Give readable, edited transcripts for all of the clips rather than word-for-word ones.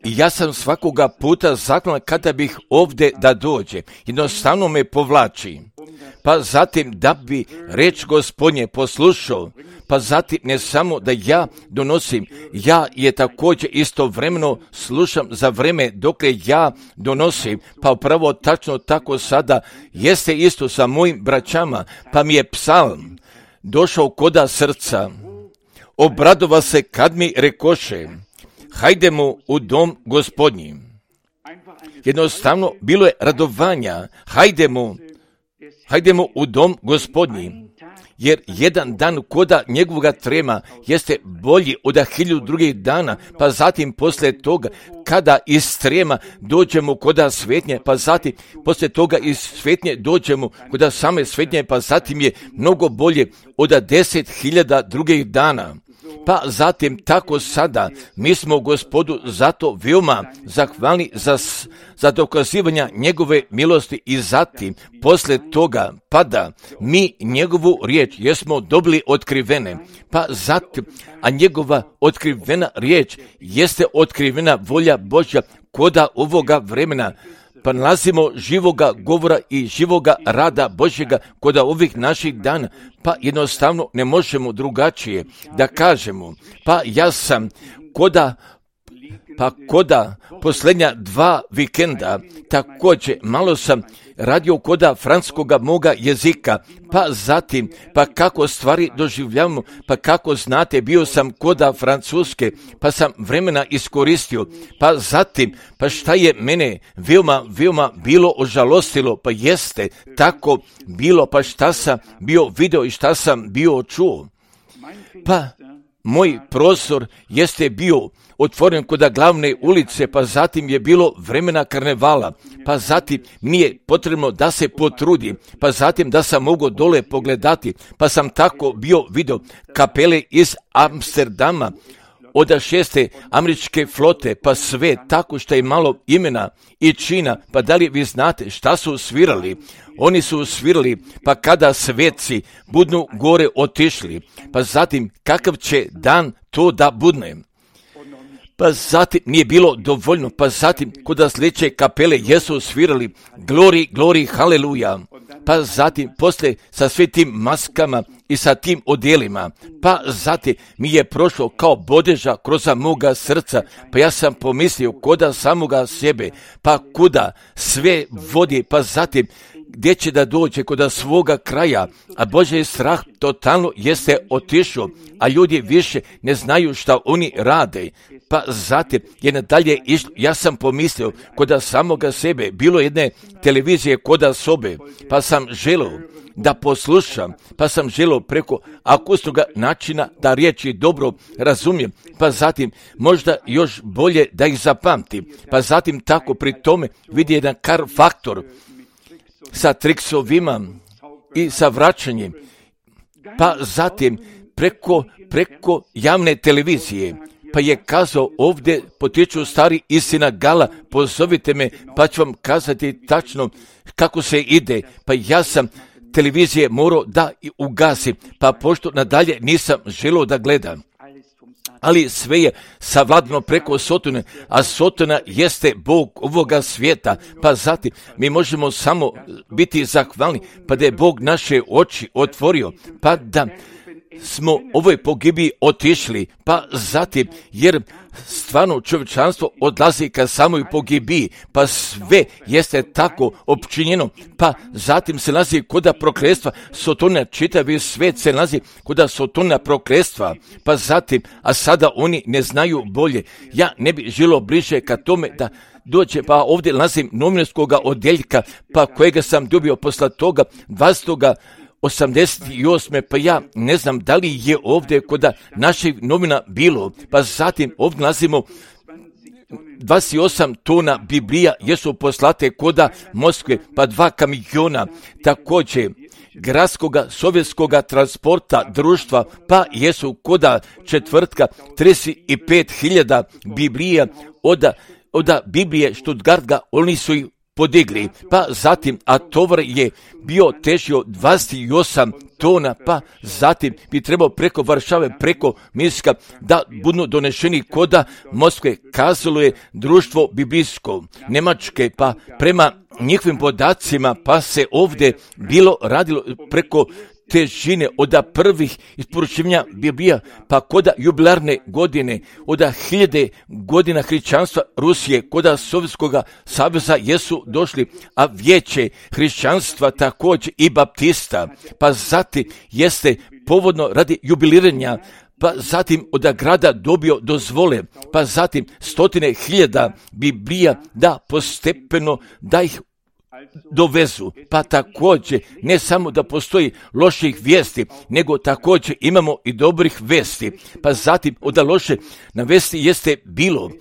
I ja sam svakoga puta zahvalan kada bih ovdje da dođe. Jednostavno me povlači. Pa zatim da bi reč Gospodnje poslušao, pa zatim ne samo da ja donosim, ja je također istovremeno slušam za vreme dokle ja donosim, pa upravo tačno tako sada jeste isto sa mojim braćama, pa mi je psalm došao koda srca, obradova se kad mi rekoše, hajdemo u dom Gospodnji. Jednostavno bilo je radovanja, hajdemo u dom Gospodnji, jer jedan dan koda njegovoga trema jeste bolji od 1000 drugih dana, pa zatim poslije toga kada iz trema dođemo koda svetnje, pa zatim poslije toga iz svetnje dođemo koda same svetnje, pa zatim je mnogo bolje od 10.000 drugih dana. Pa zatim tako sada mi smo Gospodu zato veoma zahvalni za dokazivanja njegove milosti i zatim poslije toga pada mi njegovu riječ jesmo dobili otkrivene, pa zatim, a njegova otkrivena riječ jeste otkrivena volja Božja koda ovoga vremena, pa nalazimo živoga govora i živoga rada Božjega koda ovih naših dana, pa jednostavno ne možemo drugačije da kažemo, pa ja sam koda posljednja 2 vikenda, također malo sam radio koda francuskoga moga jezika, pa zatim, pa kako stvari doživljavamo, pa kako znate, bio sam koda francuske, pa sam vremena iskoristio, pa zatim, pa šta je mene veoma bilo ožalostilo, pa jeste tako bilo, pa šta sam bio video i šta sam bio čuo, pa moj prostor jeste bio otvoren koda glavne ulice, pa zatim je bilo vremena karnevala, pa zatim nije potrebno da se potrudi, pa zatim da sam mogao dole pogledati, pa sam tako bio video kapele iz Amsterdama, od 6. američke flote, pa sve tako što je malo imena i čina, pa da li vi znate šta su svirali? Oni su svirali, pa kada sveci budnu gore otišli, pa zatim kakav će dan to da budne? Pa zatim nije bilo dovoljno, pa zatim kod sljedeće kapele jesu svirali glori, haleluja, pa zatim poslije sa sve tim maskama i sa tim odjelima, pa zatim mi je prošlo kao bodeža kroz moga srca, pa ja sam pomislio koda samoga sebe, pa kuda sve vodi, pa zatim gdje će da dođe koda svoga kraja, a Božji strah totalno jeste otišao, a ljudi više ne znaju šta oni rade, pa zatim je nadalje išlo, ja sam pomislio koda samoga sebe, bilo jedne televizije koda sobe, pa sam želio da poslušam, pa sam želio preko akustičnog načina da riječi dobro razumijem, pa zatim možda još bolje da ih zapamtim, pa zatim tako pri tome vidi jedan kar faktor sa triksovima i sa vraćanjem, pa zatim preko javne televizije, pa je kazao ovdje potiču stari istina gala, pozovite me pa ću vam kazati tačno kako se ide, pa ja sam televizije morao da ugasim, pa pošto nadalje nisam želio da gledam. Ali sve je savladano preko Sotone, a Sotona jeste Bog ovoga svijeta, pa zatim mi možemo samo biti zahvalni, pa da je Bog naše oči otvorio, pa da smo ovoj pogibiji otišli, pa zatim, jer stvarno čovječanstvo odlazi ka samoj pogibiji, pa sve jeste tako opčinjeno, pa zatim se nalazi koda prokletstva Sotona, čitavi svijet se nalazi koda Sotona prokletstva, pa zatim, a sada oni ne znaju bolje. Ja ne bi želio bliže ka tome da dođe, pa ovdje nalazim novinarskog odjeljka, pa kojega sam dobio posle toga 88. pa ja ne znam da li je ovdje koda naših novina bilo, pa zatim ovdje nalazimo 28 tona Biblija jesu poslate koda Moskve, pa 2 kamiona, također gradskoga sovjetskoga transporta društva, pa jesu koda četvrtka 35.000 Biblija od Biblije Stuttgarta, oni su ih podigli, pa zatim, a tovar je bio težio 28 tona, pa zatim bi trebao preko Varšave, preko Minska da budu donešeni koda Moskve. Kazalo je društvo biblijsko Njemačke, pa prema njihovim podacima, pa se ovdje bilo radilo preko težine od prvih isporučivanja Biblija, pa koda jubilarne godine, od 1000 godina hrišćanstva Rusije, koda Sovjetskog saveza jesu došli, a vijeće hrišćanstva također i baptista, pa zatim jeste povodno radi jubiliranja, pa zatim od grada dobio dozvole, pa zatim 100.000 Biblija da postepeno da ih dovezu, pa također ne samo da postoji loših vijesti, nego također imamo i dobrih vesti, pa zatim od loše na vesti jeste bilo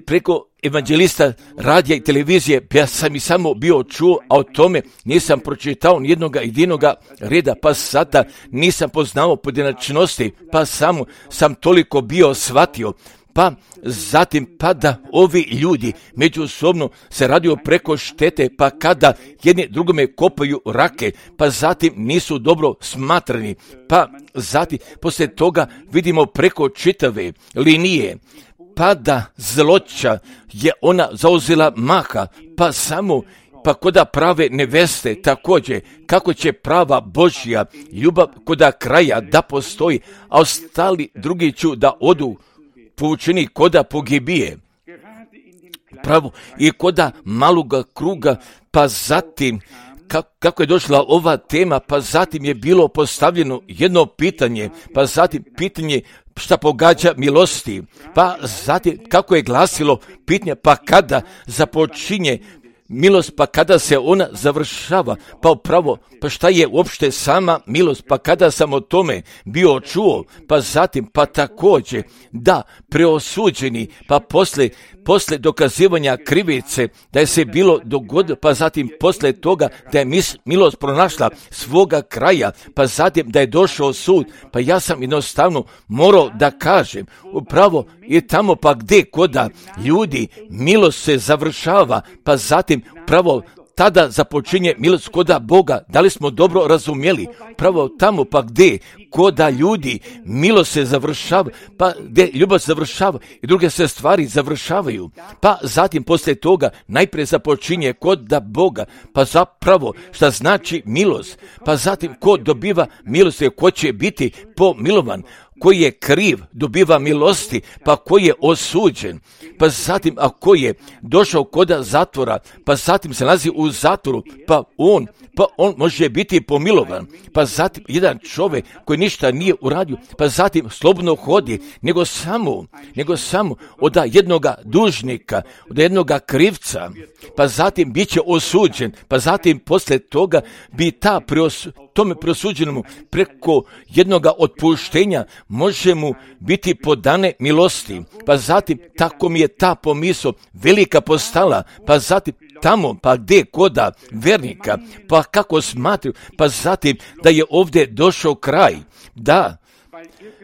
preko evanđelista radija i televizije, ja sam i samo bio čuo, a o tome nisam pročitao nijednoga jedinoga reda, pa sada nisam poznao pojedinačnosti, pa samo sam toliko bio shvatio, pa zatim pa da ovi ljudi međusobno se radio preko štete, pa kada jedni drugome kopaju rake, pa zatim nisu dobro smatrani, pa zatim poslije toga vidimo preko čitave linije, pa da zloća je ona zauzela maha, pa koda prave neveste također, kako će prava Božja ljubav koda kraja da postoji, a ostali drugi ću da odu povučeni koda pogibije. Pravo i koda maloga kruga, pa zatim kako je došla ova tema, pa zatim je bilo postavljeno jedno pitanje, pa zatim pitanje šta pogađa milosti, pa zatim kako je glasilo pitanje, pa kada započinje milost, pa kada se ona završava, pa upravo, pa šta je uopšte sama milost, pa kada sam o tome bio čuo, pa zatim, pa također, da preosuđeni, pa posle dokazivanja krivice, da je se bilo dogodilo, pa zatim posle toga da je milost pronašla svoga kraja, pa zatim da je došao sud, pa ja sam jednostavno morao da kažem, upravo je tamo pa gdje koda ljudi milost se završava, pa zatim pravo tada započinje milost koda Boga. Da li smo dobro razumjeli? Pravo tamo pa gdje koda ljudi milost se završava, pa gdje ljubav se završava i druge se stvari završavaju, pa zatim poslije toga najprije započinje koda Boga, pa zapravo šta znači milost, pa zatim ko dobiva milost je ko će biti pomilovan, koji je kriv dobiva milosti, pa koji je osuđen, pa zatim a koji je došao koda zatvora, pa zatim se nalazi u zatvoru, pa on može biti pomilovan, pa zatim jedan čovjek koji ništa nije uradio, pa zatim slobodno hodi, nego samo od jednoga dužnika, od jednoga krivca, pa zatim bit će osuđen, pa zatim poslije toga bi tome preosuđenому preko jednoga otpuštenja može mu biti podane milosti, pa zatim tako mi je ta pomisao velika postala, pa zatim tamo, pa gdje koda vernika, pa kako smatruju, pa zatim da je ovdje došao kraj, da,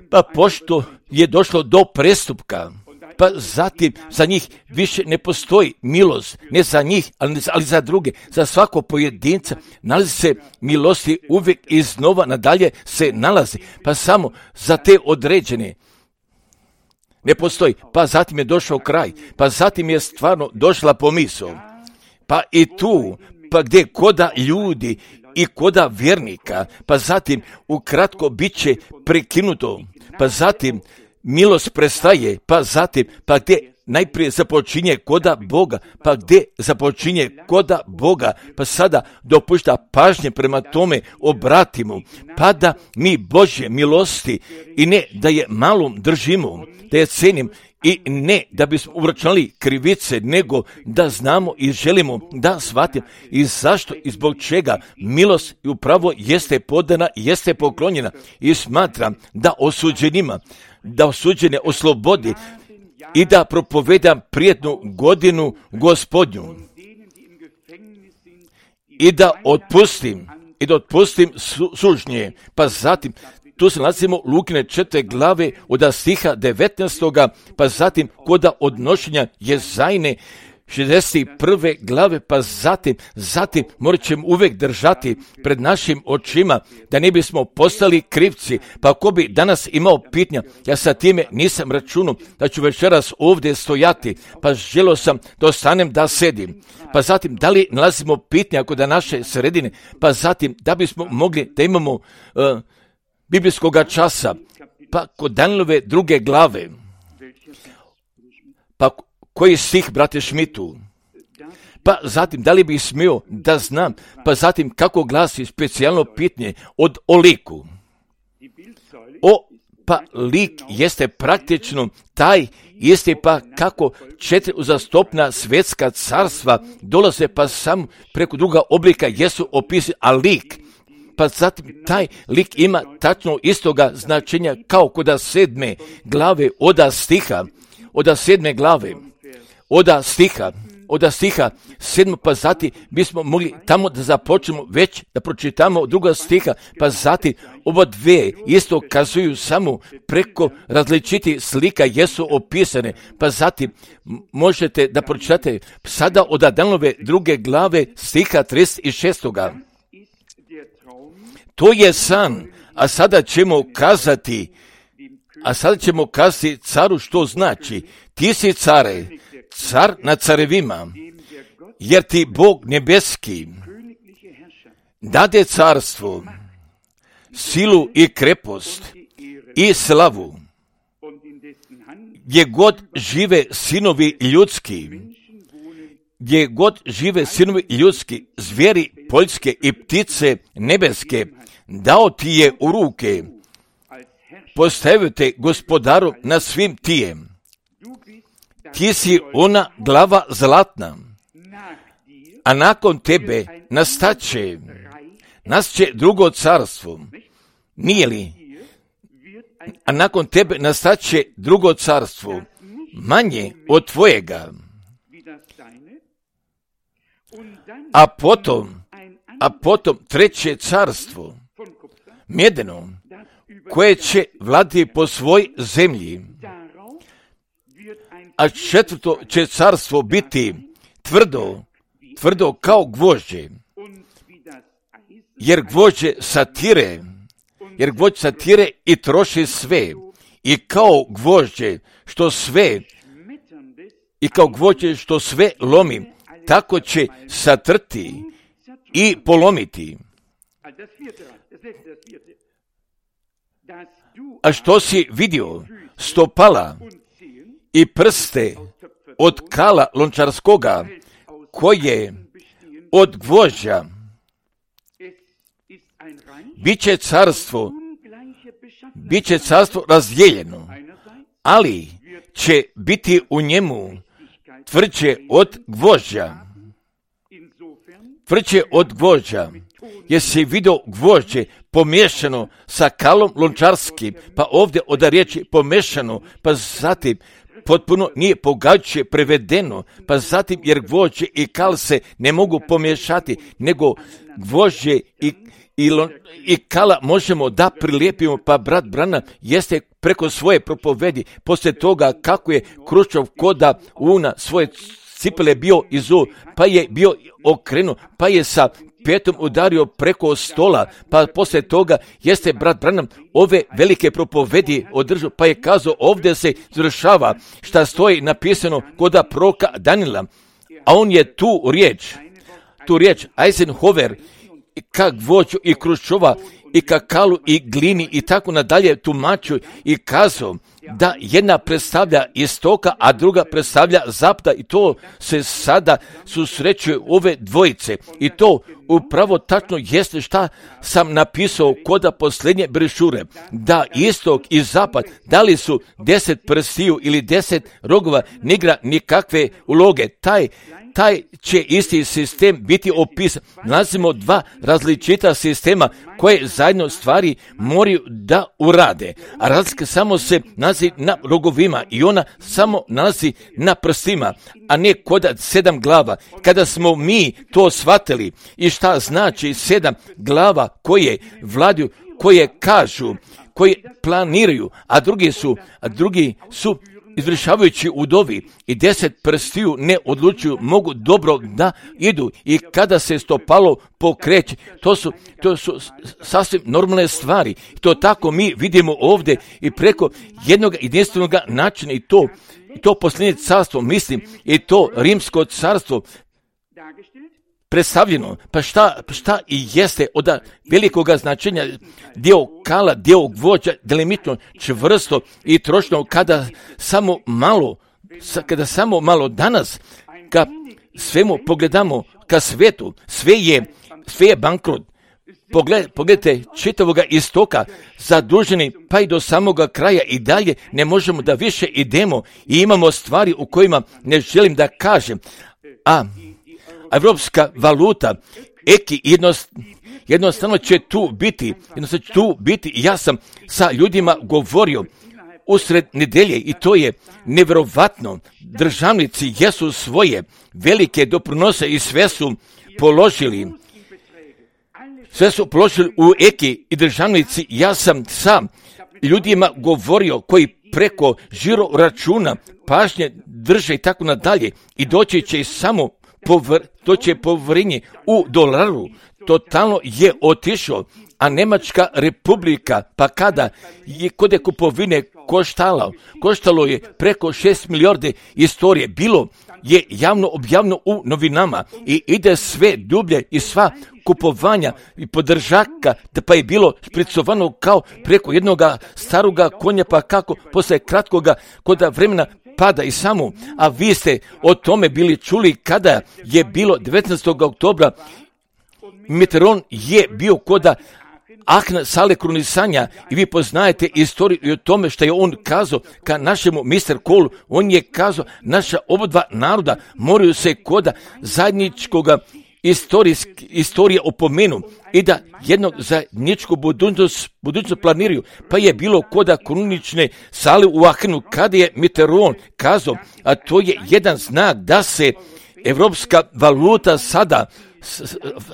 pa pošto je došlo do prestupka, pa zatim za njih više ne postoji milost, ne za njih, ali za druge, za svako pojedinca nalazi se milosti uvijek iznova nadalje se nalazi, pa samo za te određene ne postoji, pa zatim je došao kraj, pa zatim je stvarno došla pomisao, pa i tu, pa gdje koda ljudi i koda vjernika, pa zatim ukratko bit će prekinuto, pa zatim milost prestaje, pa zatim, pa gdje najprije započinje koda Boga, pa gdje započinje koda Boga, pa sada dopušta pažnje prema tome obratimo, pa da mi Božje milosti i ne da je malom držimo, da je cenim i ne da bismo uračunali krivice, nego da znamo i želimo da shvatimo i zašto i zbog čega milost upravo jeste podana, jeste poklonjena i smatram da osuđene oslobodi i da propovedam prijetnu godinu Gospodnju i da otpustim sužnje, pa zatim tu se nalazimo Lukine 4. glave od stiha 19. pa zatim koda odnošenja Jezajne 61. glave, pa zatim morat ćemo uvijek držati pred našim očima, da ne bismo postali krivci. Pa ako bi danas imao pitanja, ja sa time nisam računao da ću večeras ovdje stojati, pa želio sam da ostanem da sedim. Pa zatim, da li nalazimo pitanja kod naše sredine, pa zatim, da bismo mogli da imamo biblijskog časa, pa kod Danielove 2. glave, pa koji stih, brate Šmitu? Pa zatim, da li bih smio da znam, pa zatim kako glasi specijalno pitanje o liku? Pa lik jeste praktično taj, jeste pa kako 4 uzastopna svjetska carstva dolaze pa samo preko druga oblika jesu opisani, a lik, pa zatim taj lik ima tačno istoga značenja kao kod 7. glave od 7. glave, od stiha 7. pa zatim bismo mogli tamo da započnemo već da pročitamo druga stiha, pa zatim oba dve isto kazuju samo preko različitih slika jesu opisane, pa zatim možete da pročitate sada od Danielove 2. glave stiha 36. To je san, a sada ćemo kazati caru što znači. Ti si care, car nad carevima, jer ti Bog nebeski dade carstvo, silu i krepost i slavu, gdje god žive sinovi ljudski, zvijeri poljske i ptice nebeske, dao ti je u ruke, postavio te gospodaru na svim tijem. Ti si ona glava zlatna, a nakon tebe nastaće drugo carstvo. Nije li? A nakon tebe nastaće drugo carstvo, manje od tvojega. A potom treće carstvo, mjedeno, koje će vladati po svoj zemlji. A četvrto će carstvo biti tvrdo kao gvožđe, jer gvožđe satire i troši sve, i kao gvožđe što sve lomi, tako će satrti i polomiti. A što si vidio stopala i prste od kala lončarskoga, koje od gvožđa, biće carstvo razdijeljeno, ali će biti u njemu tvrđe od gvožđa. Jesi vidio gvožđe pomiješano sa kalom lončarskim, pa ovdje od riječi pomiješano, pa zatim potpuno nije pogađajuće prevedeno, pa zatim jer gvožđe i kal se ne mogu pomiješati, nego gvožđe i kala možemo da prilijepimo, pa brat Branham jeste preko svoje propovedi, poslije toga kako je Kruščov koda una svoje cipele bio izu, pa je bio okrenuo, pa je sa petom udario preko stola, pa poslije toga jeste brat Branham ove velike propovedi održao, pa je kazao ovdje se završava šta stoji napisano kod proroka Daniela, a on je tu riječ Eisenhower ka gvožđu i Kruščova i ka kalu i glini i tako nadalje tumačio i kazao da jedna predstavlja istoka, a druga predstavlja zapada, i to se sada susrećuje ove dvojice, i to upravo tačno jeste šta sam napisao kod posljednje brošure, da istok i zapad, da li su 10 prstiju ili 10 rogova, ne igra nikakve uloge. Taj će isti sistem biti opisan. Nalazimo dva različita sistema koje zajedno stvari moraju da urade. A razlika samo se nalazi na rogovima i ona samo nalazi na prstima, a ne kod 7 glava. Kada smo mi to shvatili i šta znači 7 glava koje vladaju, koje kažu, koje planiraju, a drugi su izvršavajući udovi i 10 prstiju ne odlučuju, mogu dobro da idu i kada se stopalo pokreće. To su sasvim normalne stvari. To tako mi vidimo ovdje i preko jednog jedinstvenog načina i to posljednje carstvo, mislim, i to rimsko carstvo predstavljeno. Pa šta i jeste od velikoga značenja, dio kala, dio gvođa, delimitno, čvrsto i trošno, kada samo malo danas, ka svemu pogledamo, ka svetu, sve je bankrot. Pogledajte čitavoga istoka, zaduženi pa i do samoga kraja i dalje ne možemo da više idemo i imamo stvari u kojima ne želim da kažem. A evropska valuta, eki, jednostavno će tu biti. Ja sam sa ljudima govorio usred nedelje i to je nevjerovatno. Državnici jesu svoje velike doprinose i sve su položili u eki i državnici. Ja sam sa ljudima govorio koji preko žiro računa pažnje drže i tako nadalje i doći će samo povjerenje u dolaru. Totalno je otišao, a Njemačka republika, pa kada je kod kupovine koštalo je preko 6 milijardi istorije, bilo je javno objavljeno u novinama i ide sve dublje i sva kupovanja i podržaka, pa je bilo špricovano kao preko jednog staroga konja, pa kako posle kratkoga koda vremena pada i samo, a vi ste o tome bili čuli kada je bilo 19. oktobra, Mitterrand je bio koda Ahna sale krunisanja i vi poznajete istoriju i o tome što je on kazao ka našemu Mr. Kohlu. On je kazao, naša obadva naroda moraju se koda zajedničkoga istorije opomenu i da jednog zajedničku budućnost planiraju. Pa je bilo koda krunične sale u Ahnu kada je Mitterrand kazao, a to je jedan znak da se evropska valuta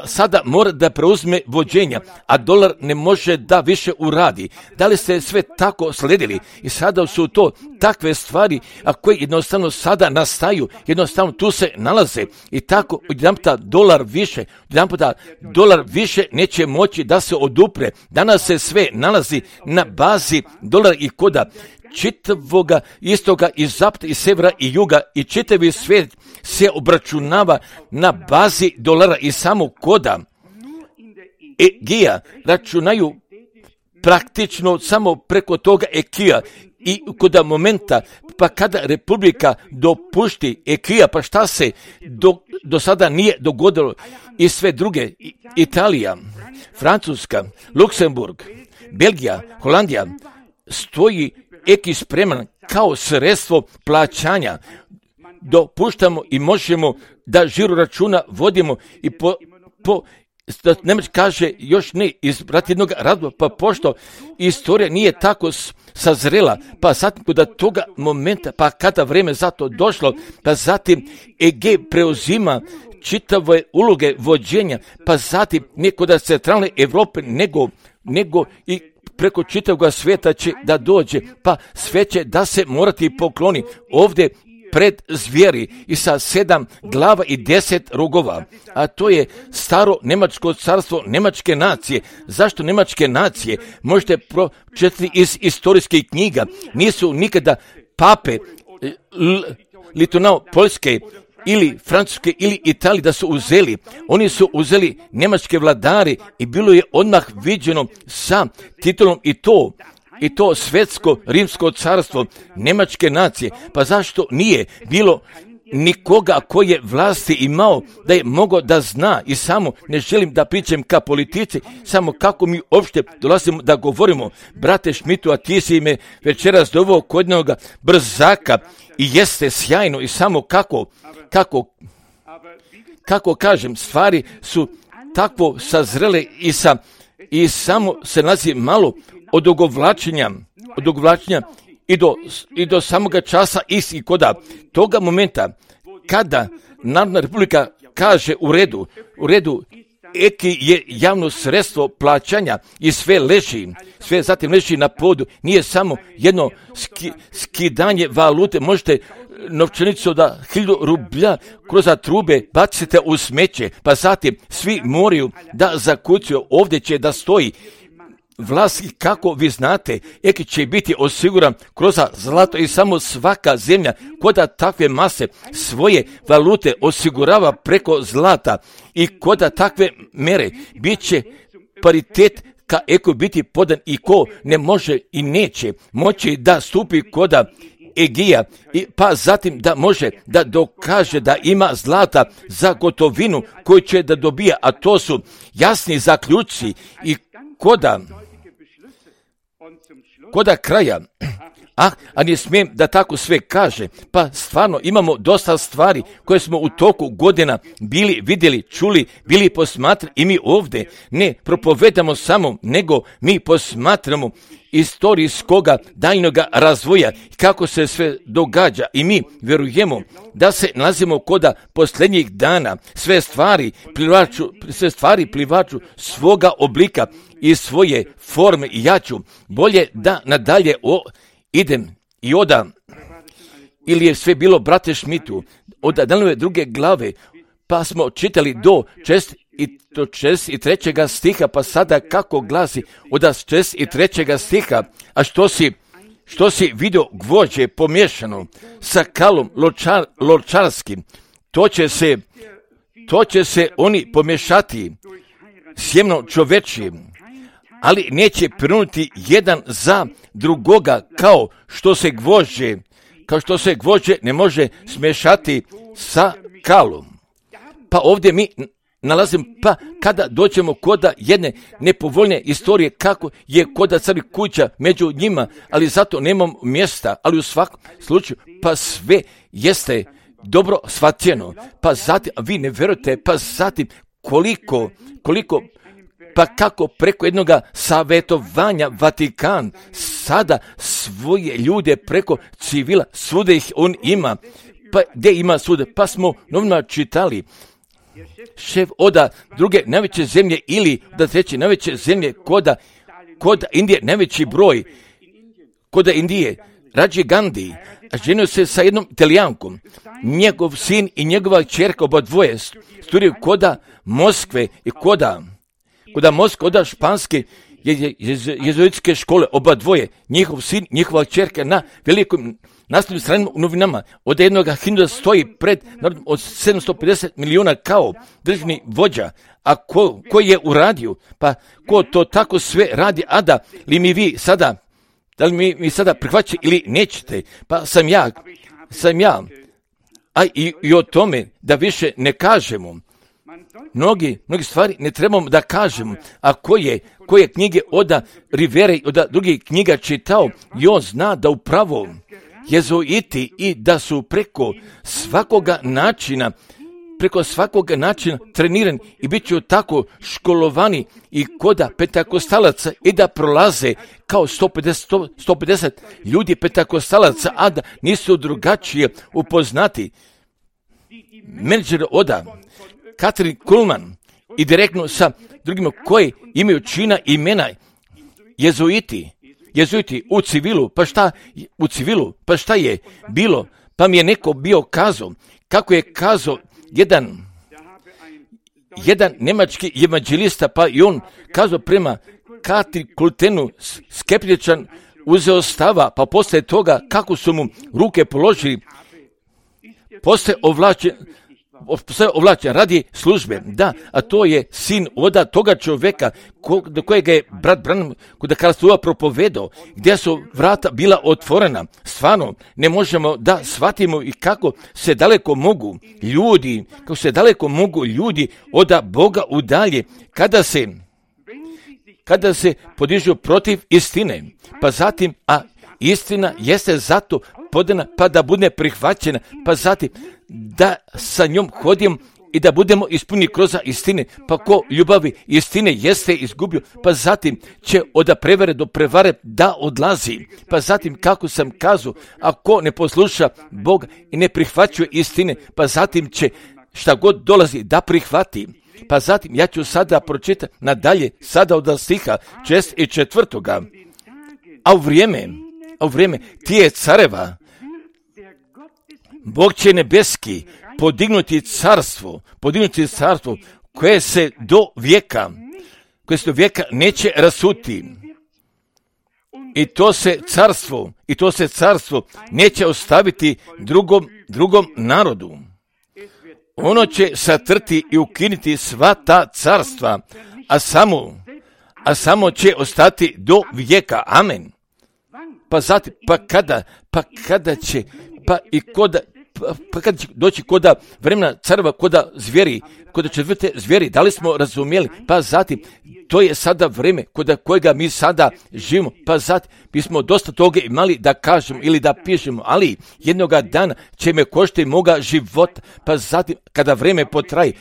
sada mora da preuzme vođenja, a dolar ne može da više uradi. Da li ste sve tako sledili? I sada su to takve stvari, a koje jednostavno sada nastaju, jednostavno tu se nalaze i tako jedanputa dolar više neće moći da se odupre. Danas se sve nalazi na bazi dolara i koda čitavoga istoga i zapada i severa i juga i čitavi svijet se obračunava na bazi dolara i samo koda Egija računaju praktično samo preko toga Ekija i koda momenta pa kada Republika dopušti Ekija, pa šta se do sada nije dogodilo i sve druge, Italija, Francuska, Luksemburg, Belgija, Holandija, stoji Eki spreman kao sredstvo plaćanja. Dopuštamo i možemo da žiro računa vodimo i Nemec kaže još ne izbrati jednog razloga, pa pošto istorija nije tako sazrela, pa zatim kod toga momenta, pa kada vreme za to došlo, pa zatim EG preuzima čitave uloge vođenja, pa zatim ne kod centralne Evrope, nego i preko čitavog svijeta će da dođe, pa sve će da se morati pokloni ovdje pred zvijeri i sa 7 glava i 10 rogova, a to je staro Njemačko carstvo Njemačke nacije. Zašto Njemačke nacije? Možete pročitati iz istorijskih knjiga. Nisu nikada pape Litonao Poljske ili Francuske ili Italije da su uzeli. Oni su uzeli njemačke vladari i bilo je odmah viđeno sa titulom i to svetsko rimsko carstvo Njemačke nacije. Pa zašto nije bilo nikoga koji je vlasti imao da je mogao da zna i samo ne želim da pričam ka politici, samo kako mi uopšte dolazimo da govorimo. Brate Šmitu, a ti si me večeras doveo kod jednoga brzaka i jeste sjajno i samo kako kažem, stvari su takvo sazrele i samo se nalazi malo odugovlačenja i do samoga časa i koda toga momenta kada Narodna republika kaže u redu, eki je javno sredstvo plaćanja i sve zatim leži na podu. Nije samo jedno skidanje valute, možete novčanicu da 1000 rublja kroz trube bacite u smeće, pa zatim svi moraju da zakucaju, ovdje će da stoji vlast i kako vi znate, eki će biti osiguran kroz zlato i samo svaka zemlja koda takve mase svoje valute osigurava preko zlata i koda takve mere bit će paritet ka eko biti podan i ko ne može i neće moći da stupi koda Egija, pa zatim da može da dokaže da ima zlata za gotovinu koju će da dobija, a to su jasni zaključci i koda kraja, a ne smijem da tako sve kaže, pa stvarno imamo dosta stvari koje smo u toku godina bili vidjeli, čuli, bili posmatrali i mi ovdje ne propovedamo samo, nego mi posmatramo istorijskoga daljnoga razvoja kako se sve događa i mi vjerujemo da se nalazimo koda posljednjih dana, sve stvari plivaču svoga oblika i svoje forme i ja ću bolje da nadalje idem i odam, ili je sve bilo, brate Šmitu, od Danove druge glave, pa smo čitali do 63. stiha, pa sada kako glasi od 63. stiha, a što si vidio gvožđe pomiješano sa kalom ločarskim, to će se oni pomiješati sjemno čovečijim, ali neće prinuti jedan za drugoga kao što se gvožđe ne može smješati sa kalom. Pa ovdje mi nalazim, pa kada dođemo koda jedne nepovoljne istorije kako je koda crvi kuća među njima, ali zato nemam mjesta, ali u svakom slučaju pa sve jeste dobro shvaćeno, pa zatim, vi ne vjerujete, pa zatim koliko pa kako preko jednog savjetovanja Vatikan sada svoje ljude preko civila, svuda ih on ima, pa gdje ima svuda, pa smo novima čitali, šef oda druge najveće zemlje ili da treće najveće zemlje kod Indije najveći broj, kod Indije, Rađi Gandhi, ženio se sa jednom Italijankom, njegov sin i njegova čerka oba dvoje studiraju koda Moskve i koda Moskve, koda španske jezuitske škole, oba dvoje, njihov sin, njihova čerka na velikom nastavnim stranim novinama, od jednog Hindusa stoji pred narodom od 750 milijuna kao državni vođa, a ko je uradio, pa ko to tako sve radi, a da li mi sada prihvaćate ili nećete, pa sam ja, a i o tome da više ne kažemo. Mnogi stvari ne trebamo da kažemo, a koje knjige od Rivere i od drugih knjiga čitao, i on zna da upravo jezuiti i da su preko svakoga načina trenirani i bit će tako školovani i koda pentakostalaca i da prolaze kao 150 ljudi pentakostalaca, a da nisu drugačije upoznati. Menadžer oda Katrin Kuhlman i direktno sa drugima koji imaju čina imena jezuiti u civilu, pa šta je bilo, pa mi je neko bio kazao, kako je kazao jedan nemački evanđelista, pa i on kazao prema Katrin Kultenu skeptičan uzeo stava, pa poslije toga kako su mu ruke položili, poslije ovlačen radi službe, da, a to je sin oda toga čovjeka do kojega je brat Branham kod Karlsruha propovedao, gdje su vrata bila otvorena. Stvarno, ne možemo da shvatimo i kako se daleko mogu ljudi od Boga udalje, kada se podižu protiv istine, pa zatim, a istina jeste zato podana, pa da bude prihvaćena, pa zatim da sa njom hodim i da budemo ispunjeni kroz istine, pa ko ljubavi istine jeste izgubio, pa zatim će od prevare do prevare da odlazi, pa zatim kako sam kazao, ako ne posluša Boga i ne prihvaćuje istine, pa zatim će šta god dolazi da prihvati. Pa zatim ja ću sada pročitati nadalje, sada od stiha 6 i 4. A u vrijeme tije careva, Bog će nebeski podignuti carstvo koje se do vijeka neće rasuti. I to se carstvo neće ostaviti drugom narodu. Ono će satrti i ukinuti sva ta carstva, a samo će ostati do vijeka. Amen. Pa zatim, kada će doći koda vremena careva, koda zvijeri, koda četvrte zvijeri, da li smo razumjeli? Pa zatim, to je sada vrijeme koda kojega mi sada živimo. Pa zatim, mi smo dosta toga imali da kažemo ili da pišemo, ali jednoga dana će me koštiti moga života. Pa zatim, kada vrijeme potraji,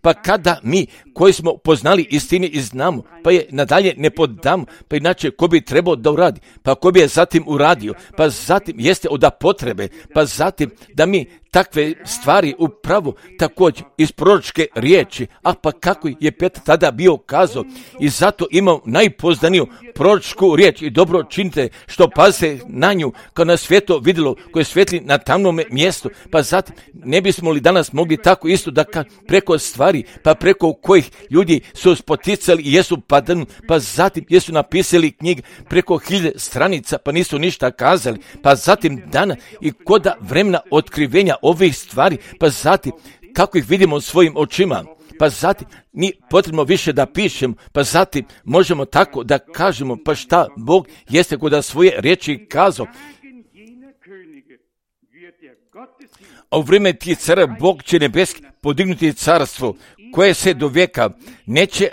pa kada mi koji smo poznali istini i znamo, pa je nadalje ne podamo, pa inače ko bi trebao da uradi, pa ko bi je zatim uradio, pa zatim jeste od potrebe, pa zatim da mi takve stvari upravo također iz proročke riječi, a pa kako je Petar tada bio kazao, i zato imam najpoznaniju proročku riječ i dobro činite što pazite na nju, kao na svjetlo vidjelo koje svijetli na tamnome mjestu. Pa zatim ne bismo li danas mogli tako isto da preko stvari, pa preko kojih ljudi su spoticali i jesu padani, pa zatim jesu napisali knjige preko 1000 stranica, pa nisu ništa kazali, pa zatim dana i koda vremena otkrivenja ovih stvari, pa zatim kako ih vidimo svojim očima, pa zatim ni potrebno više da pišemo, pa zatim možemo tako da kažemo, pa šta Bog jeste kod svoje riječi kazao. A u vrijeme tih cara Bog će nebeski podignuti carstvo koje se do vijeka neće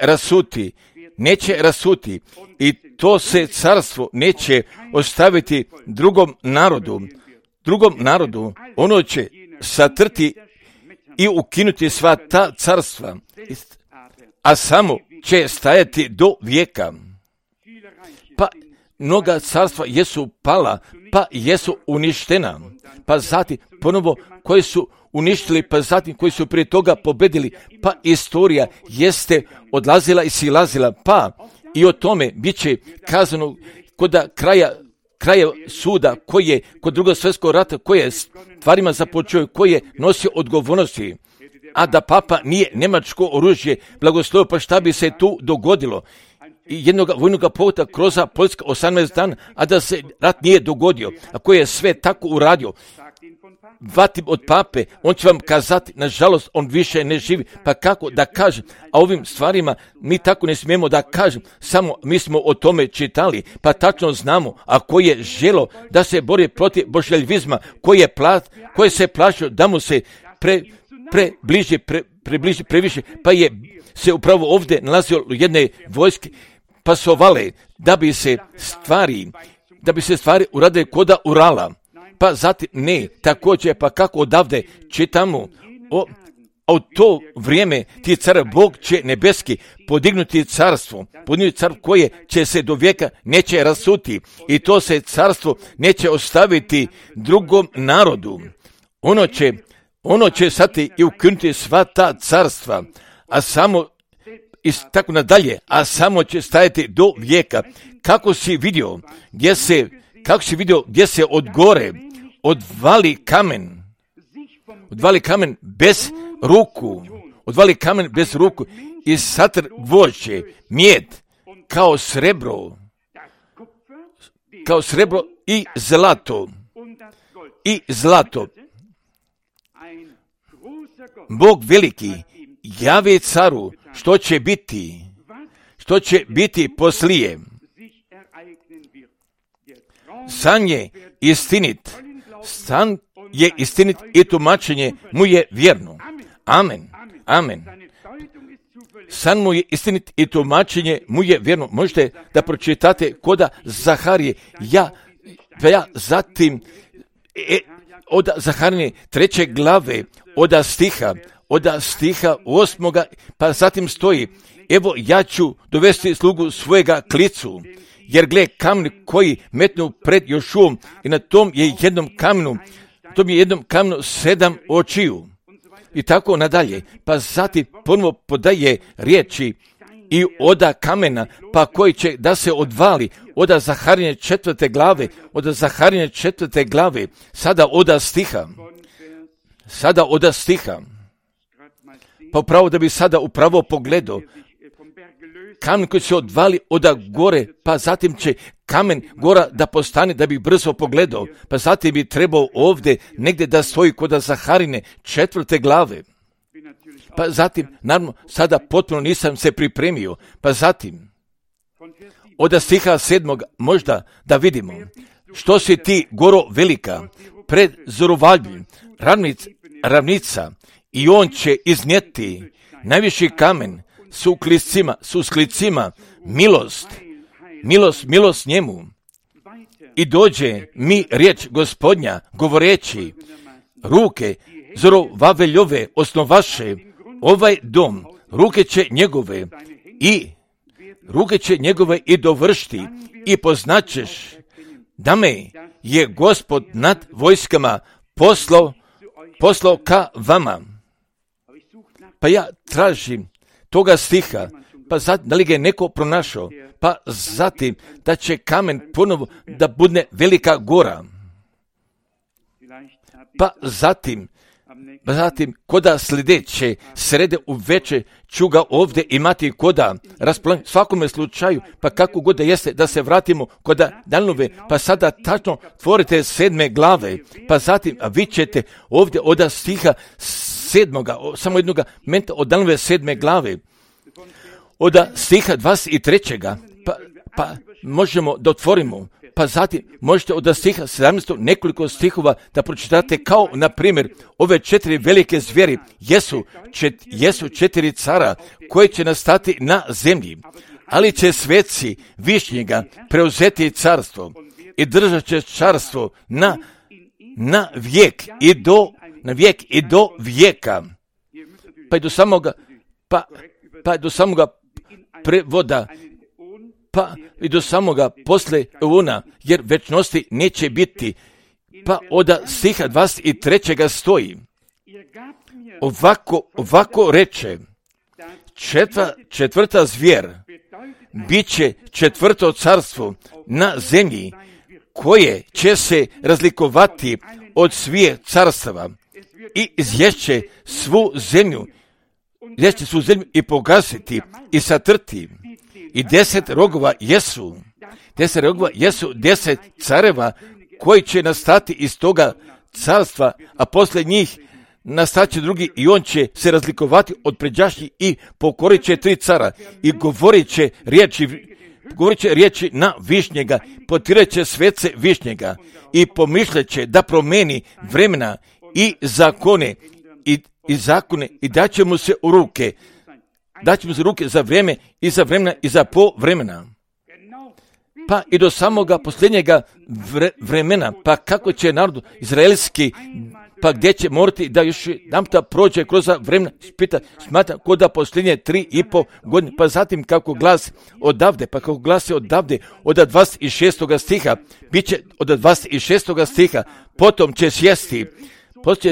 rasuti i to se carstvo neće ostaviti drugom narodu, ono će satrti i ukinuti sva ta carstva, a samo će stajati do vijeka. Pa mnoga carstva jesu pala, pa jesu uništena, pa zatim ponovo koji su uništili, pa zatim koji su prije toga pobedili, pa istorija jeste odlazila i silazila, pa i o tome bit će kazano kod kraja suda koji je kod Drugog svjetskog rata, koji je stvarima započeo, koji je nosio odgovornosti, a da papa nije njemačko oružje blagoslovio, pa šta bi se tu dogodilo? I jednog vojnog povota kroz Poljska 18 dana, a da se rat nije dogodio, a koji je sve tako uradio. Vatim od pape, on će vam kazati, nažalost, on više ne živi, pa kako da kažem, a ovim stvarima mi tako ne smijemo da kažem, samo mi smo o tome čitali, pa tačno znamo, a koji je želo da se bori protiv božjeljvizma, koji se plašio da mu se približi previše, pa je se upravo ovdje nalazio jedne vojske, pasovale, da bi se stvari uradile koda Urala. Pa zatim ne, također, pa kako odavde čitamo, u to vrijeme ti car Bog će nebeski podignuti carstvo koje će se do vijeka neće rasuti i to se carstvo neće ostaviti drugom narodu. Ono će sati i ukinuti sva ta carstva, a samo i tako nadalje, a samo će stajati do vijeka. Kako si vidio gdje se od gore odvali kamen bez ruku i satr gvožđe, mijed, kao srebro i zlato. Bog veliki javi caru što će biti poslije. San je istinit i tumačenje mu je vjerno. Amen. San mu je istinit i tumačenje mu je vjerno. Možete da pročitate koda Zaharije. Ja zatim od Zaharije 3. glave od stiha 8. pa zatim stoji: evo ja ću dovesti slugu svojega klicu, jer gle kamen koji metnu pred Jošuom i na tom je jednom kamenu 7 očiju. i tako nadalje. Pa zatim ponovo podaje riječi i oda kamena, pa koji će da se odvali, oda Zaharije 4. glave, oda Zaharije 4. glave, sada oda stiha. Pa upravo da bi sada upravo pogledao, kamen koji se odvali oda gore, pa zatim će kamen gora da postane da bi brzo pogledao, pa zatim bi trebao ovdje negdje da stoji kod Zaharine 4. glave. Pa zatim, naravno, sada potpuno nisam se pripremio, pa zatim, od stiha 7. možda da vidimo, što si ti goro velika, pred Zorobabelom, ravnica, i on će iznijeti najviši kamen s usklicima, milost njemu. I dođe mi riječ Gospodnja, govoreći, ruke Zorobabeljove osnovaše ovaj dom, ruke će njegove i dovršiti, i poznaćeš da me je Gospod nad vojskama poslao ka vama. Pa ja tražim toga stiha, pa zatim, da li ga je neko pronašao, pa zatim da će kamen ponovo da bude velika gora. Pa zatim koda sljedeće srede u večer ću ga ovdje imati koda raspolaganje svakome slučaju, pa kako god da jeste da se vratimo koda Danilove, pa sada tačno tvorite 7. glave, pa zatim vi ćete ovdje od stiha 7. samo jednog momenta od Danilove 7. glave, od stiha 23. pa možemo da otvorimo. Pa zatim možete od stiha 17. nekoliko stihova da pročitate, kao na primjer ove 4 velike zvijeri jesu 4 cara koji će nastati na zemlji, ali će sveci višnjega preuzeti carstvo i držat će carstvo na vijek i do vijeka. Pa i do samoga prevoda, pa i do samoga posle una, jer večnosti neće biti. Pa od stiha 23. stoji, ovako reče, četvrta zvijer bit će 4. carstvo na zemlji, koje će se razlikovati od svih carstava i izješće svu zemlju i pogasiti i satrti. I 10 rogova jesu 10 careva koji će nastati iz toga carstva, a poslije njih nastaće drugi, i on će se razlikovati od pređašnjih i pokorit će 3 cara i govorit će riječi na višnjega, potirat će svece višnjega i pomišljaće da promeni vremena i zakone i daće mu se u ruke. Daće mu se ruke za vrijeme i za vremena i za povremena. Pa i do samoga posljednjega vremena, pa kako će narod izraelski, pa gdje će morati da još jedanputa prođe kroz vremena, smatra kod da posljednje 3,5 godine, pa zatim kako glasi odavde, od 26. stiha, bit će od 26. stiha, potom će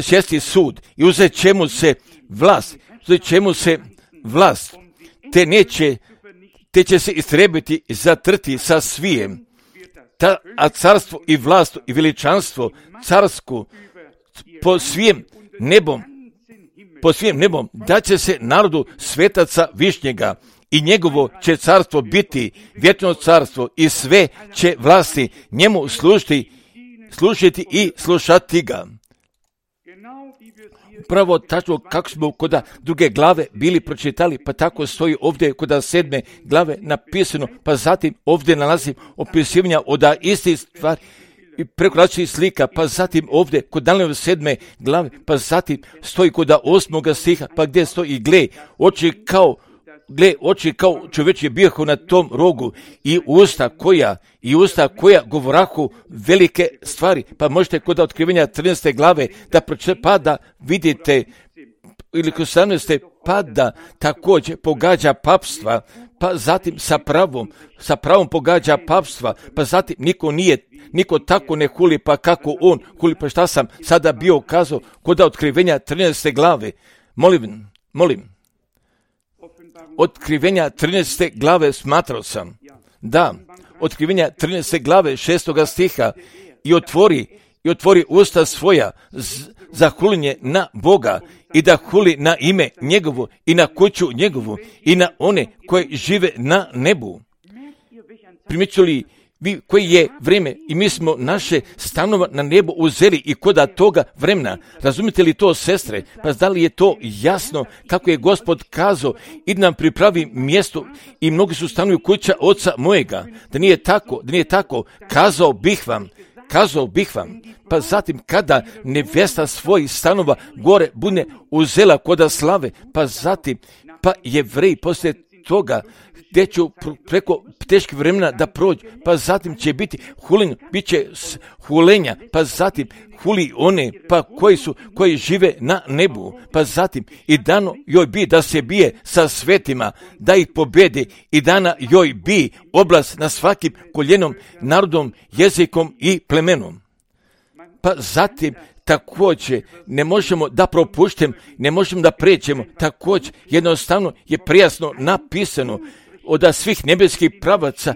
sjesti sud i uzet će mu se vlast, te će se istrebiti i zatrti sa svijem, a carstvo i vlast i veličanstvo carsku po svijem nebom da će se narodu svetaca višnjega, i njegovo će carstvo biti vječno carstvo, i sve će vlasti njemu služiti i slušati ga. Pravo tačno kako smo kod druge glave bili pročitali, pa tako stoji ovdje kod 7. glave napisano, pa zatim ovdje nalazim opisivanja od istih stvari i preko različitih slika, pa zatim ovdje kod Danilove 7. glave, pa zatim stoji kod 8. stiha, pa gdje stoji, gle, oči kao čovječje bijahu na tom rogu, i usta koja govorahu velike stvari. Pa možete kod otkrivenja 13. glave da vidite, ili kod 17. pa da također pogađa papstva, pa zatim sa pravom pogađa papstva, pa zatim niko tako ne huli, pa kako on huli, pa šta sam sada bio kazao kod Otkrivenja 13. glave. Molim. Otkrivenja 13. glave smatrao sam. Da, Otkrivenja 13. glave 6. stiha i otvori usta svoja za hulinje na Boga i da huli na ime njegovo i na kuću njegovu i na one koji žive na nebu. Primjeću li vi koji je vrijeme i mi smo naše stanova na nebu uzeli i koda toga vremena. Razumite li to, sestre? Pa da li je to jasno kako je Gospod kazao i nam pripravi mjesto i mnogi su stanovi kuća oca mojega. Da nije tako, kazao bih vam. Pa zatim kada nevjesta svojih stanova gore bude uzela koda slave, pa zatim Jevreji poslije toga gdje ću preko teških vremena da prođu, pa zatim će biti hulenja, bit će hulenja, pa zatim huli one koji žive na nebu, pa zatim i dano joj bi da se bije sa svetima, da ih pobjedi i dana joj bi oblast na svakim koljenom, narodom, jezikom i plemenom. Pa zatim također ne možemo da propuštemo, ne možemo da pređemo, također jednostavno je prijasno napisano od svih nebeskih pravaca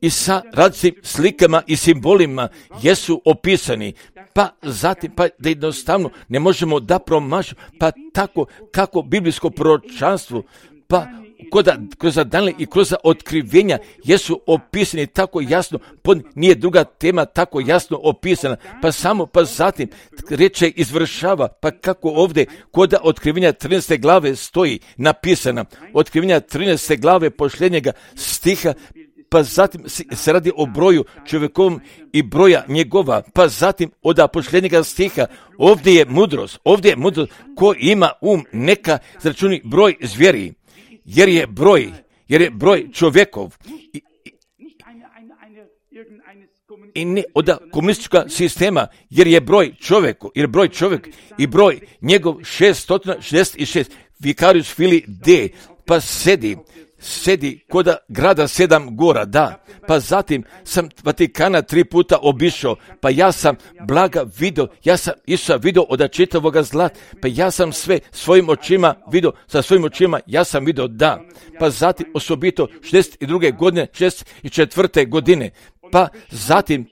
i sa različitim slikama i simbolima jesu opisani, pa zatim da jednostavno ne možemo da promašimo, pa tako kako biblijsko proročanstvo, pa kroz Danile i kroz otkrivenja jesu opisani tako jasno, nije druga tema tako jasno opisana, pa zatim reče izvršava, pa kako ovdje kod Otkrivenja 13. glave stoji napisana, Otkrivenja 13. glave posljednjega stiha, pa zatim se radi o broju čovjekovom i broja njegova, pa zatim od posljednjega stiha, ovdje je mudrost, ko ima neka zračuni broj zvijeri, jer je broj čovjekov i ne od komunistička sistema, jer je broj čovjek i broj njegov 666, Vicarius Filii D, pa sedi kod grada 7 gora, da, pa zatim sam Vatikana 3 puta obišao, pa ja sam blaga vidio, ja sam Isusa vidio od čitavoga zlata, pa ja sam sve svojim očima vidio, sa svojim očima ja sam vidio, da, pa zatim osobito 62. godine, 64. godine, pa zatim,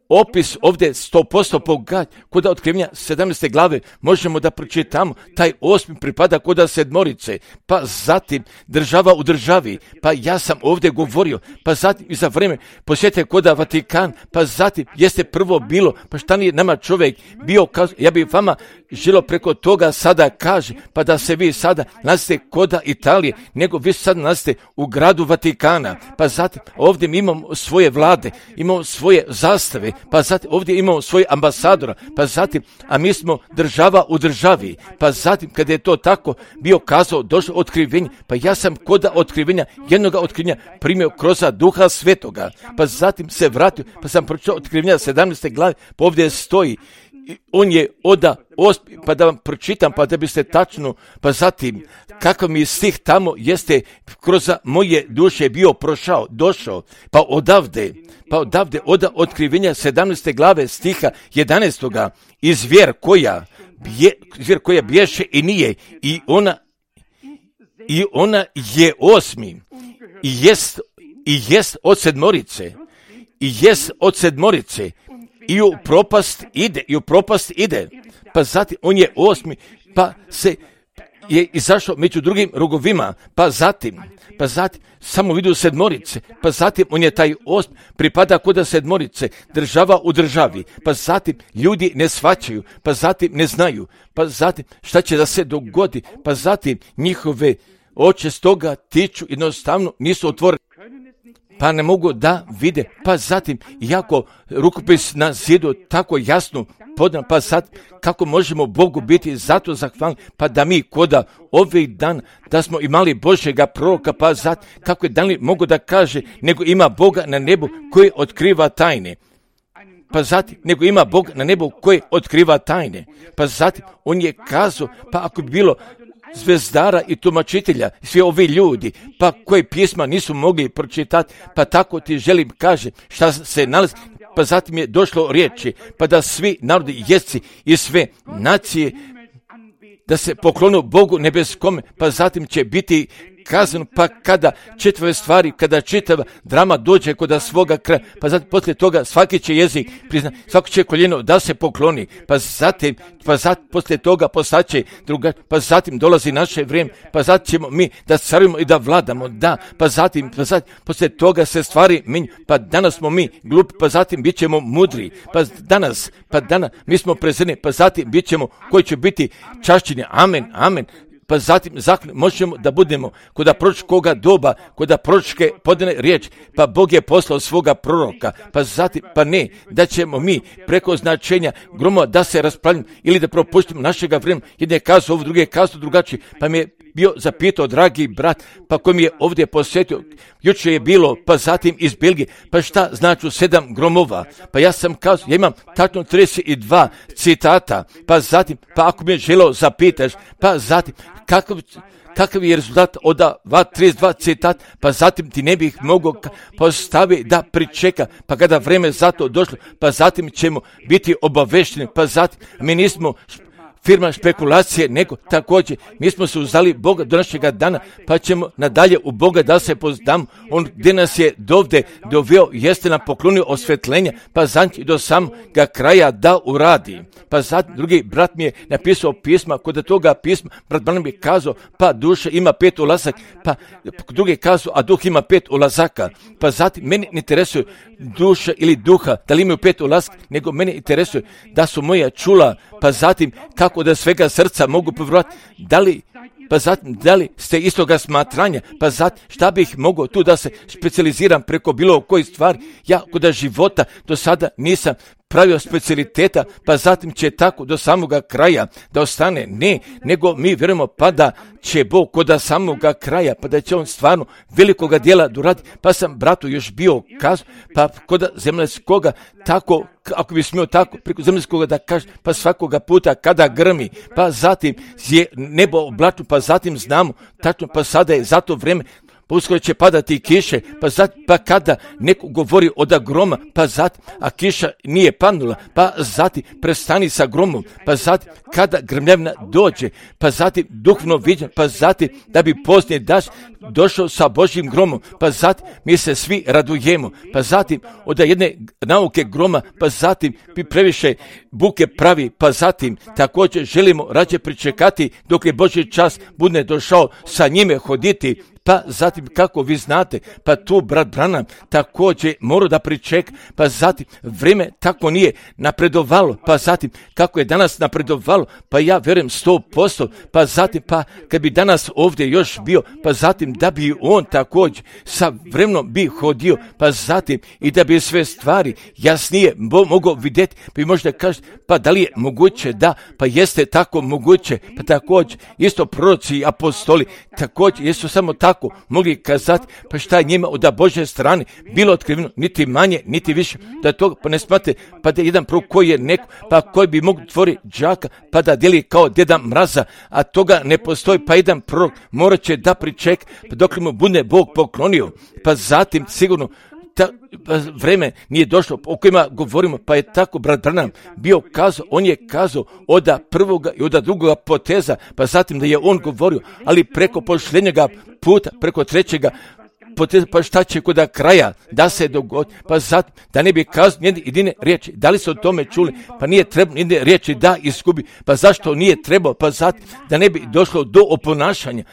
opis ovdje 100% pogađa kod Otkrivenja 17. glave možemo da pročitamo, taj 8. pripada kod 7, pa zatim država u državi, pa ja sam ovdje govorio, pa zatim i za vrijeme posjetite kod Vatikan, pa zatim jeste prvo bilo, pa šta nije nama čovjek bio, ja bih vama želio preko toga sada kaže, pa da se vi sada nalazite kod Italije, nego vi sad nalazite u gradu Vatikana, pa zatim ovdje mi imamo svoje vlade, imamo svoje zastave, pa zatim ovdje imamo svoj ambasadora, pa zatim, a mi smo država u državi, pa zatim kada je to tako bio kazao, došlo otkrivenje, pa ja sam kod otkrivenja, jednoga otkrivenja primio kroz Duha Svetoga, pa zatim se vratio, pa sam pročitao Otkrivenja 17. glave, pa ovdje stoji, on je pa da vam pročitam, pa da biste tačno, pa zatim, kakav mi stih tamo jeste kroz moje duše bio došao, pa odavde od Otkrivenja 17. glave stiha 11. i zvijer koja bješe i nije, i ona je 8. i jest od 7, i u propast ide, pa zatim on je 8, pa se je izašao među drugim rogovima, pa zatim samo vidio 7, pa zatim on je taj 8, pripada kod 7, država u državi, pa zatim ljudi ne shvaćaju, pa zatim ne znaju, pa zatim šta će da se dogodi, pa zatim njihove oči stoga tiču, jednostavno nisu otvoreni, pa ne mogu da vide, pa zatim iako rukopis na zidu tako jasno podan, pa sad kako možemo Bogu biti zato zahvalni, pa da mi koda ovih dan da smo imali Božjega proroka, pa zatim kako je Danil mogu da kaže, nego ima Boga na nebu koji otkriva tajne. Pa zatim, nego ima Bog na nebu koji otkriva tajne. Pa zatim, on je kazao, pa ako bi bilo zvezdara i tumačitelja, svi ovi ljudi, pa koji pisma nisu mogli pročitati, pa tako ti želim kaže šta se nalazi, pa zatim je došlo riječi, pa da svi narodi, jezici i sve nacije da se poklonu Bogu nebeskome, pa zatim će biti kazano, pa kada čitave stvari, kada čitava drama dođe kod svoga kraja, pa zatim poslije toga svaki će jezik prizna, svako će koljeno da se pokloni, pa zatim poslije toga postaće druga, pa zatim dolazi naše vrijeme, pa zatim ćemo mi da carujemo i da vladamo, da, pa zatim poslije toga se stvari minju, pa danas smo mi glupi, pa zatim bit ćemo mudri, pa danas mi smo prezreni, pa zatim bit ćemo koji će biti čašćeni, amen, pa zatim možemo da budemo kod proročkoga doba, kod proročke podane riječ, pa Bog je poslao svoga proroka, pa zatim, pa ne, da ćemo mi preko značenja gromova da se raspravljamo ili da propuštimo našega vremena, jedne kazu ovo, druge kazu drugačije, pa mi je bio zapitao dragi brat, pa koji mi je ovdje posjetio, jučer je bilo, pa zatim iz Belgije, pa šta znači 7 gromova, pa ja sam kazao, ja imam tačno 32 citata, pa zatim, pa ako mi je želeo zapitaš, pa zatim, kakav je rezultat od 32 citata, pa zatim ti ne bih mogao postaviti da pričeka, pa kada vreme za to došlo, pa zatim ćemo biti obavešteni, pa zatim mi nismo firma špekulacije, nego također mi smo se uzeli Boga do našega dana, pa ćemo nadalje u Boga da se poznamo. On gdje nas je dovde doveo, jeste nam poklonio osvetljenja, pa zanči do samoga kraja da uradi. Pa zatim drugi brat mi je napisao pisma, kod toga pisma brat Branham je kazao, pa duša ima 5 ulazaka, pa drugi kazao, a duh ima 5 ulazaka. Pa zatim meni ne interesuje duša ili duha, da li imaju 5 ulazaka, nego meni interesuje da su moja čula, pa zatim kako da svega srca mogu povjerovati, da li ste istoga smatranja, pa zatim šta bih mogao tu da se specijaliziram preko bilo koji stvari, ja kod života do sada nisam pravio specijaliteta, pa zatim će tako do samoga kraja da ostane, ne, nego mi vjerujemo pa da će Bog kod samoga kraja, pa da će on stvarno velikoga djela doraditi, pa sam bratu još bio kazao, pa kod zemaljskoga tako, ako bi smio tako, preko zemaljskoga da kaže, pa svakoga puta kada grmi, pa zatim je nebo oblačno, pa zatim znamo, tačno, pa sada je za to vrijeme, pa uskoro će padati kiše, pa kada neko govori od groma, pa zatim, a kiša nije padnula, pa zatim prestani sa gromom, pa zatim kada grmljavina dođe, pa zatim duhovno viđen, pa zatim da bi poznije daš došao sa Božjim gromom, pa zatim mi se svi radujemo, pa zatim od jedne nauke groma, pa zatim bi previše buke pravi, pa zatim također želimo rađe pričekati dok je Božji čas bude došao sa njime hoditi, pa zatim kako vi znate, pa tu brat Branham također mora da pričeka, pa zatim vrijeme tako nije napredovalo, pa zatim kako je danas napredovalo, pa ja vjerujem 100%, pa zatim pa kad bi danas ovdje još bio, pa zatim da bi on također sa vremenom bi hodio, pa zatim i da bi sve stvari jasnije mogao vidjeti, pa i možda kaže, pa da li je moguće da, pa jeste tako moguće, pa također isto proroci i apostoli također jesu samo tako mogli kazati, pa šta je njima od Božje strane bilo otkriveno, niti manje, niti više, da to pa ne smate, pa da jedan prorok koji je neko, pa koji bi mogu tvori đaka, pa da dijeli kao Deda Mraza, a toga ne postoji, pa jedan prorok morat će da pričeka, pa dok mu bude Bog poklonio, pa zatim sigurno vreme nije došlo o kojima govorimo, pa je tako brat Branham bio kazao, on je kazao od prvoga i od drugoga poteza, pa zatim da je on govorio, ali preko posljednjega puta, preko trećega poteza, pa šta će kod kraja da se dogodi, pa zatim da ne bi kazao jedine riječi, da li se o tome čuli, pa nije trebalo jedine riječi da izgubi, pa zašto nije trebalo, pa zatim da ne bi došlo do oponašanja,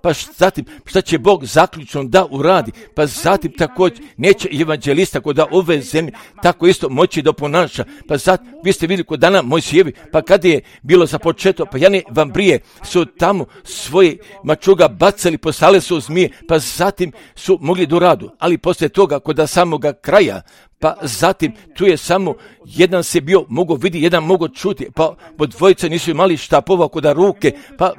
pa zatim šta će Bog zaključno da uradi, pa zatim također neće evanđelista kod ove zemlje tako isto moći da oponaša, pa zatim vi ste vidjeli kod dana Mojsijevi, pa kada je bilo započeto, pa Jane Vambrije su tamo svoje mačuga bacali, poslale su zmije, pa zatim su mogli do radu, ali poslije toga kod samoga kraja, pa zatim tu je samo jedan se bio mogao vidjeti, jedan mogao čuti, pa dvojica nisu imali štapova kod ruke, pa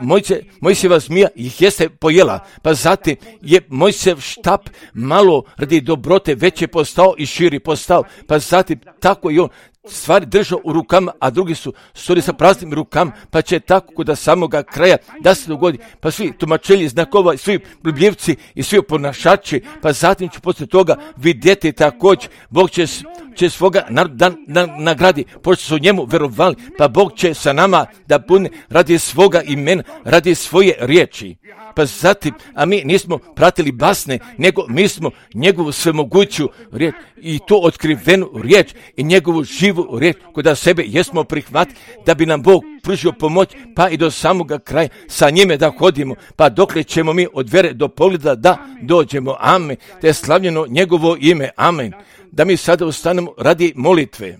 Mojsijeva zmija ih jeste pojela, pa zatim je Mojsijev štap malo radi dobrote veće postao i širi postao, pa zatim tako i on stvari držao u rukama, a drugi su stoli sa praznim rukama, pa će tako kod samoga kraja da se dogodi, pa svi tumačelji znakova, svi bljivci i svi oponašači, pa zatim će poslije toga vidjeti također, Bog će svoga naroda nagradi, pošto su njemu verovali, pa Bog će sa nama da pune radi svoga imena, radi svoje riječi. Pa zatim, a mi nismo pratili basne, nego mi smo njegovu svemoguću riječ i to otkrivenu riječ i njegovu živu riječ koda sebe jesmo prihvatili da bi nam Bog pružio pomoć, pa i do samoga kraja sa njime da hodimo, pa dokle ćemo mi od vere do pogleda da dođemo. Amen. Te je slavljeno njegovo ime. Amen. Da mi sada ustanemo radi molitve.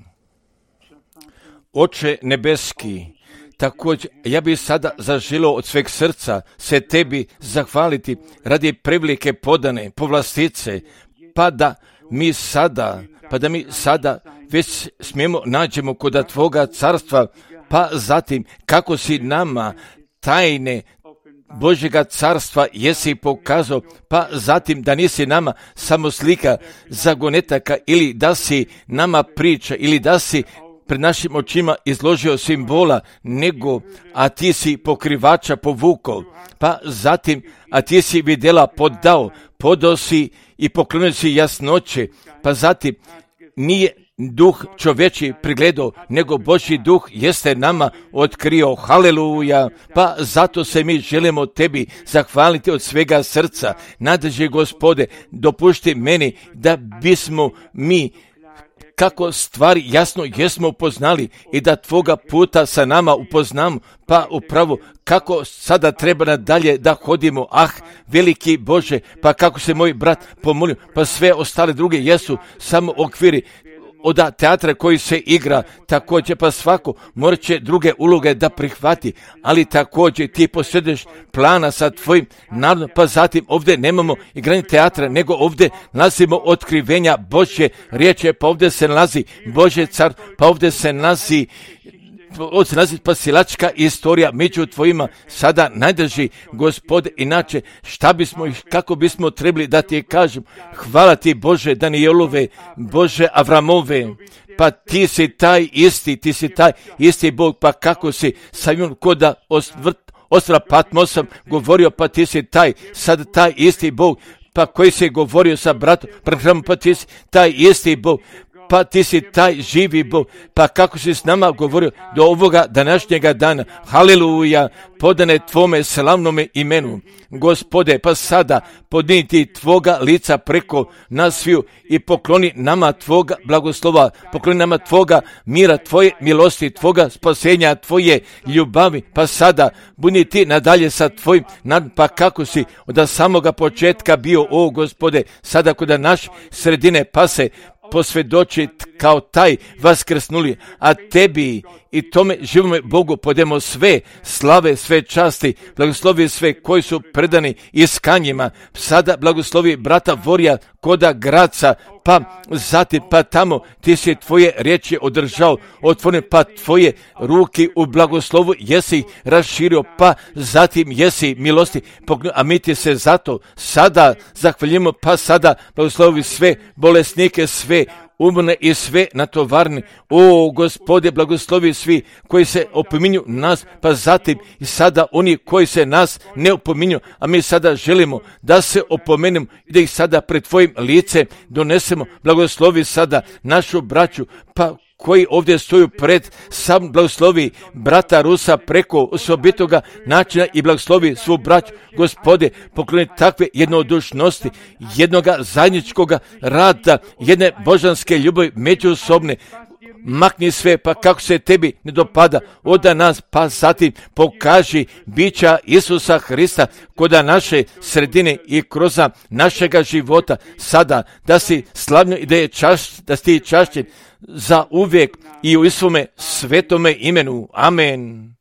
Oče nebeski, također, ja bih sada zaželio od sveg srca se tebi zahvaliti radi prevelike podane povlastice, pa da mi sada već smijemo nađemo kod tvoga carstva, pa zatim kako si nama tajne Božjega carstva jesi pokazao, pa zatim da nisi nama samo slika zagonetaka ili da si nama priča ili da si pred našim očima izložio simbola, nego, a ti si pokrivača povukao, pa zatim, a ti si vidjela podao si i poklonio si jasnoće, pa zatim nije duh čovječi prigledao, nego Božji duh jeste nama otkrio. Haleluja! Pa zato se mi želimo tebi zahvaliti od svega srca. Nadrži Gospode, dopušti meni da bismo mi kako stvari jasno jesmo upoznali i da tvoga puta sa nama upoznamo, pa upravo kako sada treba nadalje da hodimo. Veliki Bože, pa kako se moj brat pomolio, pa sve ostale druge jesu samo okviri od teatra koji se igra, također pa svako morat će druge uloge da prihvati, ali također ti posjeduješ plana sa tvojim narodom, pa zatim ovdje nemamo igranje teatra, nego ovdje nalazimo otkrivenja Božje riječi, pa ovdje se nalazi Božje car, pa ovdje se nalazi spasilačka istorija među tvojima sada najdrži, Gospode, inače šta bismo i kako bismo trebali da ti kažem. Hvala ti Bože Danielove, Bože Avramove, pa ti si taj isti Bog, pa kako si sa njom koda ostrava Patmosom govorio, pa ti si taj isti Bog, pa koji si govorio sa bratom, pa ti si taj isti Bog, pa ti si taj živi Bog, pa kako si s nama govorio do ovoga današnjega dana. Haleluja, podane tvome slavnome imenu. Gospode, pa sada podniti tvoga lica preko nas sviju i pokloni nama tvoga blagoslova, pokloni nama tvoga mira, tvoje milosti, tvoga spasenja, tvoje ljubavi, pa sada budi ti nadalje sa tvojim pa kako si od samoga početka bio, o Gospode, sada kod naš sredine pa se posvjedočit kao taj vaskrsnuli, a tebi i tome živome Bogu podemo sve slave, sve časti, blagoslovi sve koji su predani iskanjima. Sada blagoslovi brata Vorija koda Graca, pa zatim pa tamo ti si tvoje riječi održao, otvoren, pa tvoje ruke u blagoslovu jesi raširio, pa zatim jesi milosti, a mi ti se zato sada zahvaljujemo, pa sada blagoslovi sve bolesnike, sve umrne i sve natovarne. O Gospode, blagoslovi svi koji se opominju nas, pa zatim i sada oni koji se nas ne opominju, a mi sada želimo da se opomenemo i da ih sada pred tvojim licem donesemo. Blagoslovi sada našu braću, pa koji ovdje stoju pred sam, blagoslovi brata Rusa preko osobitoga načina i blagoslovi svu braću. Gospode, pokloni takve jednodušnosti, jednoga zajedničkoga rada, jedne božanske ljubavi međusobne. Makni sve, pa kako se tebi ne dopada od nas, pa zatim pokaži bića Isusa Hrista koda naše sredine i kroz našega života sada, da si slavno i da si čašćen za uvijek i u svome svetome imenu. Amen.